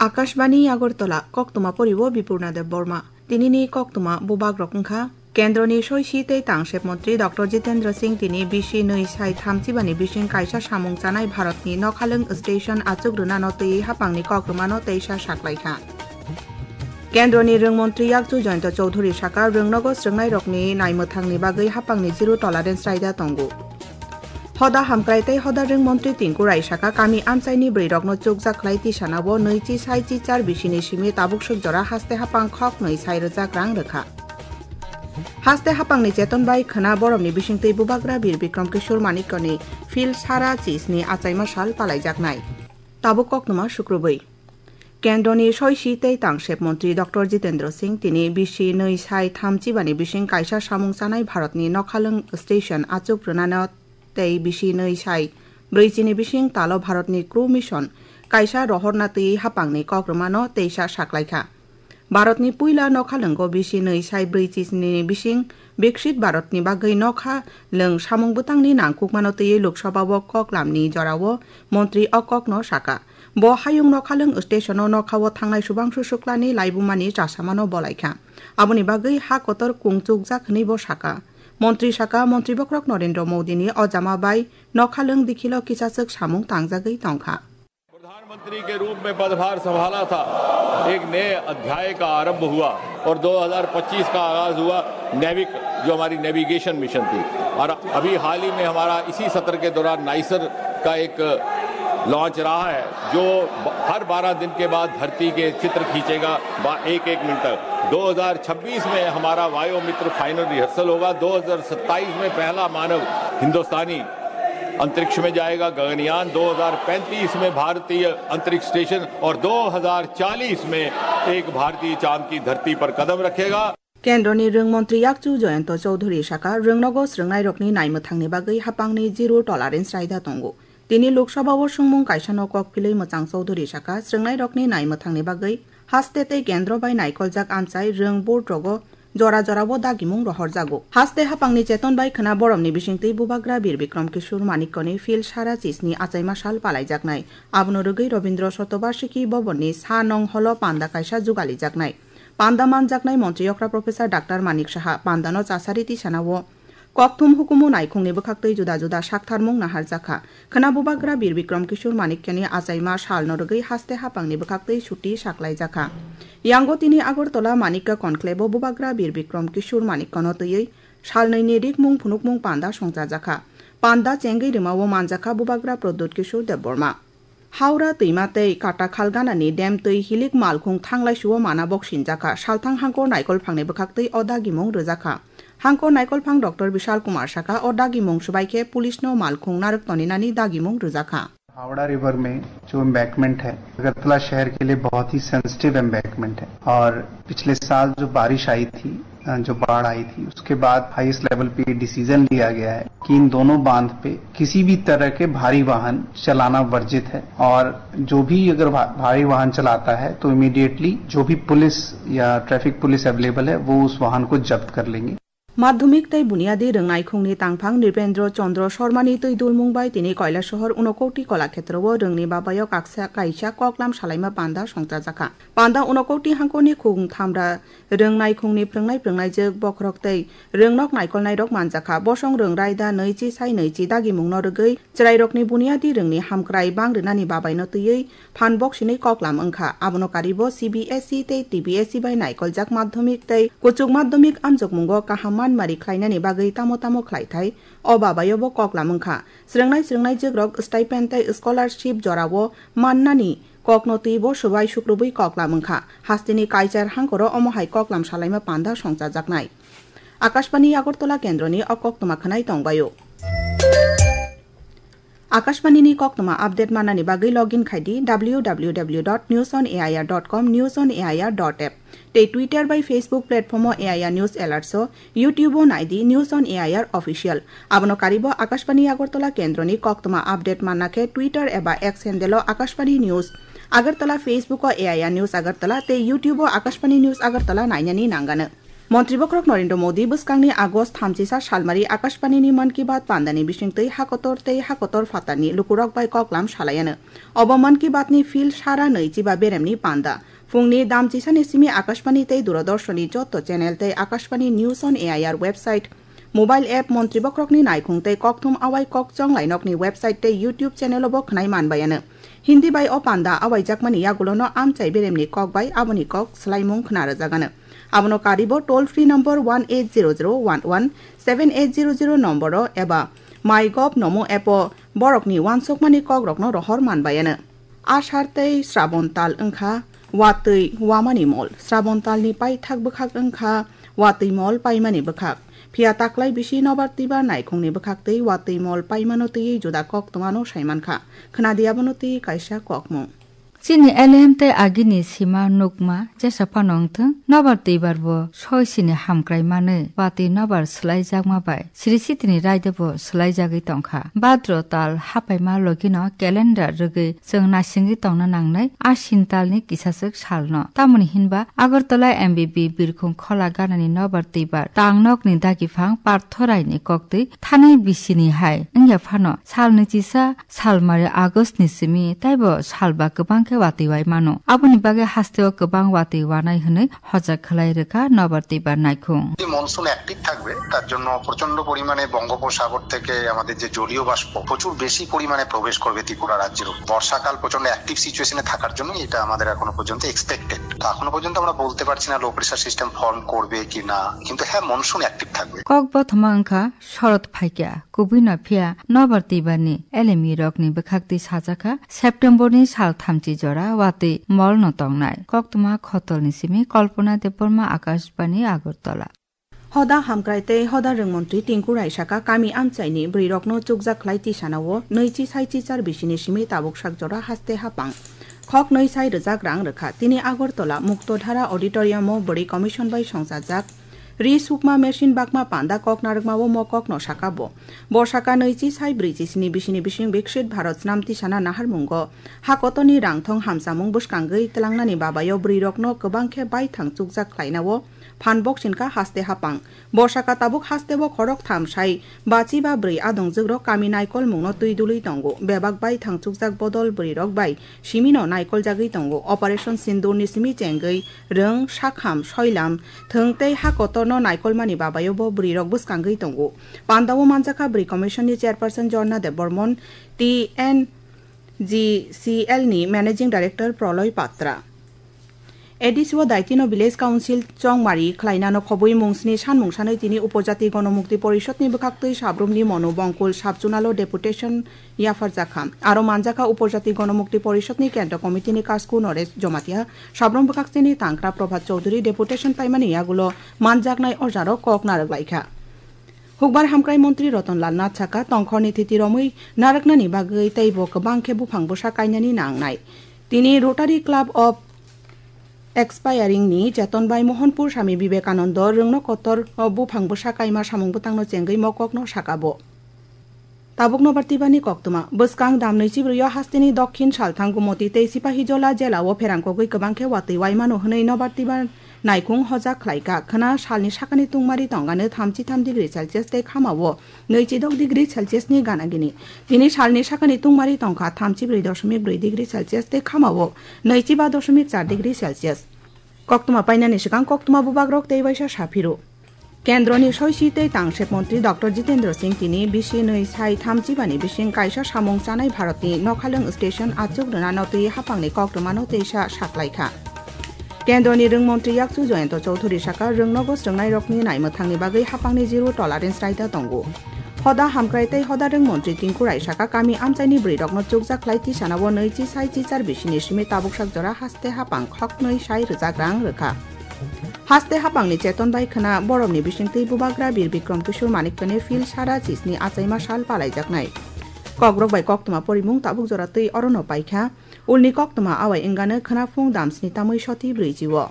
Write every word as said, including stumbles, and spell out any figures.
Akashbani Agartala, koktwma poriwo Bipurna Debbarma. Tinini koktwma bubagrok wngkha, Kendroni soisi tei tangsep montri Doctor Jitendra Singh tini bisi nwi sai thamchibani bising kaisa samung chanai Bharatni nokhalwng station achuk rwnano twiwi haphangni kok rwmano teisa saklaikha. Kendroni rwng montri yakchu Jayanta Chaudhury saka, rwngnogo swrwngnairokni naimwthangni bagwi haphangni zero tolerance raida tongo. Hoda hamkrai tei hoda rwng montri Tinku Rai saka, kami amchaini bwrwirokno chukjak khlai tisanao nwichi sai chichar bisini simi tabuk swk jora haste haphang khoknwi sai rwjak rang rwkha. Haste haphangni cheton bai khwna boromni bisingtwi bubagra Bir Bikram Kishore Manikyani phil sara chisni achaima sal palaijaknai. Tabuk koktwma sukrubwi. Kendroni soisi tei tangsep montri Doctor Jitendra Singh tini bisi nwi sai thamchibani bising kaisa samung chanai Bharatni nokhalwng station achuk rwnano tei bisi nwi sai brwichini bising talo Bharatni Crew Mission kaisa rohorna twiwi haphangni kok rwmano teisa saklaikha. Bharatni puila nokhalwngo bisi nwi sai brwichini bising Viksit Bharatni bagwi nokha lwng samung bwtangni nangkukmano twiwi Lok Sabhao koklamni jorao montri o kokno saka. Bo hayung nokhalwng stationo nokhao thangnai subangsu suklani laibumani chasamano bolaikha. Aboni bagwi ha kotor kungchukjak hwnwi bo saka. Montri saka, montri bokhorok Narendra Modini o jama bai nokhalwng dikhilo kisachwk samung tangjagwi tongkha. प्रधानमंत्री के रूप में पदभार संभाला था, एक नए अध्याय का आरंभ हुआ और दो हज़ार पच्चीस का आगाज हुआ नेविक, जो हमारी नेविगेशन मिशन थी। और अभी हाल ही में हमारा इसी सत्र के दौरान नाइसर का एक लॉन्च रहा है, जो ब-, हर बारह दिन के बाद धरती के चित्र खींचेगा, बा-, एक एक मिनट तक। दो हज़ार छब्बीस में हमारा वायोमित्र फाइनल रिहर्सल होगा, दो हज़ार सत्ताईस में पहला मानव हिंदुस्तानी अंतरिक्ष में जाएगा गगनयान, दो हज़ार पैंतीस में भारतीय अंतरिक्ष स्टेशन और दो हज़ार चालीस में एक भारतीय चांद की धरती पर कदम रखेगा। Kendroni rwng montri yakchu Jayanta Chaudhury saka, rwngnogo swrwngnairokni naimwthangni bagwi haphangni zero tolerance raida tongo. Tini Lok Sabhao swngmung kaisano kok philwi mwchang Chaudhury saka, swrwngnairokni naimwthangni bagwi haste tei kendro bai naikoljak amchai rwng board rogo jora jorao dagimung rohorjago. Haste haphangni cheton bai khwna boromni bisingtwi bubagra Bir Bikram Kishore Manikyani phil sara chisni achaima sal palaijaknai. Abono rwgwi Rabindra Shatobarshiki Bhavanni sa nong holo panda kaisa jugalijaknai. Panda manjaknai montri okra Professor Doctor Manik Saha pandano chasari tisanao kokthum hukumu naikhungni bwkhaktwi juda juda saktharmung naharjakha. Khwna bubagra Bir Bikram Kishore Manikyani achaima salno rwgwi haste haphangni bwkhaktwi chuti saklaijakha. Yango tini Agartala Manikya Conclave-o bubagra Bir Bikram Kishore Manikyano twiwi salnwini rikmung phunukmung panda songchajakha. Panda chengwi rwmao manjakha bubagra Pradyut Kishore Debbarma. Howrah twima tei Katakhal ganani dam twi hilik malkhung thanglai suo mana bok sinjakha. Salthang hangkor naikolphangni bwkhaktwi o dagimung rwjakha. Hangkor naikolphang Doctor Bishal Kumar saka, o dagimung swbai khe police no malkhung narwk toninani dagimung rwjakha. Howrah river में जो एम्बैंकमेंट है, अगरतला शहर के लिए बहुत ही sensitive embankment है और पिछले साल जो बारिश आई थी, अ, जो बाढ़ आई थी, उसके बाद हाईएस्ट लेवल पे ये डिसीजन लिया गया है कि इन दोनों बांध पे किसी भी तरह के भारी वाहन चलाना वर्जित है और जो भी अगर भा-, भारी वाहन चलाता है तो इमीडिएटली जो भी पुलिस या ट्रैफिक पुलिस अवेलेबल है वो उस वाहन को जब्त कर लेंगे। Madhyamik tei Buniyadi Rwngnaikhungni tangphang Nripendra Chandra Sharmani twi dulmung bai tini Kailasahar Unakoti Kolakshetrao rwngni babaio kaksa kaisa koklam salaima panda songchajakha. Panda Unakoti hangkorni khung thamra rwngnaikhungni phrwngnai phrwngnaijwk bokhorok tei rwngnok naikolnairok manjakha. Bosong rwng raida nwichi sai nwichi dagimungno rwgwi chwrairokni buniyadi rwngni hamkrai bang rwnani babaino twiwi phan boksinwi koklam wngkha. Abono karibo C B S E tei T B S E bai naikoljak madhyamik tei kuchuk madhyamik amjokmungo kaham manmari khlainani bagwi tamo tamo khlaithai o babaiobo koklam wngkha. Swrwngnai swrwngnaijwkrok stipend tei scholarship jorao mannani kokno twibo swbai sukrubwi koklam wngkha. Hasteni Kaichar hangkoro omo hai koklam salaima panda songchajaknai. Akashbani Agartala kendroni o koktwma khwnai tongbaio. Akashbani ni koktwma update manani bagwi login khai di W W W dot news on A I R dot com, news on A I R dot app, tei Twitter bai Facebook platform o A I R News Alerts o, YouTube o nai di News on A I R Official. Abono karibo Akashbani Agartala kendroni koktwma update manna khe Twitter eba X handle o Akashbani News Agartala, Facebook o A I R News Agartala tei YouTube o Akashbani News Agartala nainani nangano. Montri bokhorok Narendra Modi bwskangni August thamchisa salmari Akashbanini Mann Ki Baat pandani bisingtwi hakotor tei hakotor phatarni lukurok bai koklam salaiano. Obo Mann Ki Baatni phil sara nwichiba beremni panda. Phungni damchisani simi Akashbani tei Doordarshanni joto channel tei Akashbani News on A I R website, mobile app, montri bokhorokni naikhung tei kokthum awai kok chonglai nokni website tei YouTube channel-o bo khwnai manbaiano. Hindi bai o panda awaijakmani yagulono amchai beremni kok bai aboni kok swlaimung khna rwjagano. Abono karibo toll free number one eight zero zero one one seven eight zero zero nomboro eba MyGov Namo app-o borokni uansukmani kokrokno rohor manbaiano. Ashar tei Srabon tal wngkha watwi wamani mol. Srabon talni paithak bwkhak wngkha watwi mol paimani bwkhak. Phiya taklai bisi nobar twibar naikhungni bwkhak tei watwi mol paimano twiwi juda koktwmano saimankha. Khwnadi abono twiwi kaisa kokmung. Chini elem tei agini sima nukma jesa phano wngthwng, nobar twibar bo soi sini hamkrai manwi watwi nobar swlaijakma bai siri sitini raida bo swlaijagwi tongkha. Badro tal hapaima logino calendar rwgwi chwng naisingwi tongna nangnai Ashin talni kisaswk salno. Tamoni hinba Agartala M B B birkhung khola ganani nobar twibar tangnokni dagiphang Partho Raini koktwi thanai bisini hai wngya phano salni chisa salmari August ni simi taibo salba kwbang khe watwi wai mano. Aboni bagwi hasteo kwbang watwi wanai hwnwi hojak khlai rwkha nobar twibar naikhung. যদি monsoon active থাকবে, তার জন্য প্রচণ্ড পরিমাণে বঙ্গোপসাগর থেকে আমাদের যে জলীয় বাষ্প প্রচুর বেশি পরিমাণে প্রবেশ করবে ত্রিপুরা রাজ্যের উপর। বর্ষাকাল প্রচণ্ড অ্যাক্টিভ সিচুয়েশনে থাকার জন্য এটা আমাদের এখনো পর্যন্ত এক্সপেক্টেড। তো এখনো পর্যন্ত আমরা বলতে পারছি না লো প্রেশার সিস্টেম ফর্ম করবে কি না, কিন্তু হ্যাঁ, মনসুন অ্যাক্টিভ থাকবে। Kok bothoma wngkha, shorod phaikya, kubui no phiya nobar twibarni elemi rokni bwkhaktwi sajakha, September ni sal thamchi jora watwi mol no tongnai. Koktwma khotolni simi Kalpana Debbarma, Akashbani, Agartala. Hoda hamkrai tei hoda rwngmontri Tinku Rai saka kami amchaini bwrwirokno chukjak khlai tisanao nwichi sai chichar bisini simi tabuk sak jora haste hapang. Khok nwi sai rwjak rang rwkha. Tini Agartala Muktodhara Auditorium-o bwrwi commission bai songchajak. Ri sukma machine bakma panda kok narwkmao mo kokno saka bo. Bo saka nwichi sai brwichi sini bisini bising Viksit Bharat snam tisana naharmungo hakotorni rangthong hamsamung bwskangwi tlangnani babayo bwrwirokno kwbang khe baithang chukjak khlainao phan boksinka haste hapang. Bo saka tabuk hasteo khorok tham sai bachi ba bwrwi adongjukrok kami naikolmungno twi dului tongo. Bebak baithang chukjak bodol bwrwirok bai simino naikoljagwi tongo. Operation Sindurni simi chengwi rwng, sakham, soilam, thwng tei ha kotorno naikolmani babayo bo bwrwirok bwskangwi tongo. Pandao manjakha bwrwi commission ni chairperson Jorna Debbarman, T N G C L ni managing director Praloy Patra. A D C o daitino Village Council chongmari khlainano khobwi mungsni sanmung sanwi tini Upojati Gonomukti Porishod ni bwkhaktwi sabrumni Monu Bongkul Sub-Zonal o deputation yapharjakha. Aro manjakha Upojati Gonomukti Porishod ni Kendra Committee ni Kasku Noresh Jomatia, sabrum bwkhaktwini tangkra Prabhat Chaudhary deputation paimani yagulo manjaknai o jarok kok narwk laikha. Hukbar hamkrai montri Ratan Lal Nath saka, tongkhorni thiti romwi narwknani bagwi teibo kwbang khe buphang bwsa kainani nangnai. Tini Rotary Club of Expiring ni Cheton bai Mohanpur Swami Vivekanando rwngno kotor o buphang bwsa kaima samung bwtangno chengwi mokokno saka bo. Tabuk nobar tibani koktwma. Bwskang damnwi chibrwi o hasteni Dokhin Salthang Gumoti tei Sipahijola jela o pherangkogwi kwbang khe watwi waimano hwnwi nobar tiba naikhung hojak khlaika. Khwna salni sakani tungmari tongano thamchi tham degree Celsius tei khamao nwichi dok degree Celsius ni gana gini. Tini salni sakani tungmari tongkha thamchi brwi doshomik brwi degree Celsius tei khamao nwichi ba doshomik char degree Celsius. Koktwma painani swkang koktwma bubagrok tei waisa saphiro. Kendroni soisi tei tangsek montri Doctor Jitendra Singh tini bisi nwi sai thamchi bani bising kaisa samung chanai Bharatni nokhalwng station achuk rwna notwi hapangni koktwmano teisa saklaikha. Kendroni rwngmontri yakchu Jayanta Chowdhury saka rwngnogo swrwngnairokni naimwthangni bagwi hapangni zero tolerance raida tongo. Hoda hamkrai tei hoda rwngmontri Tinku Rai saka kami amchaini bwrwirokno chukjak khlai tisanao nwichi sai chichar bisini simi tabuk sak jora haste hapang khoknwi sai rwjak rang rwkha. Haste hapangni cheton bai khwna boromni bisingtwi bubagra Bir Bikram Kishore Manikyani phil sara chisni achaima sal palaijaknai. Kokrok bai koktwma porimung tabuk jora twi orono paikha. Ulni koktwma awai wngano khwnaphung damsni tamwi soti brwichi o.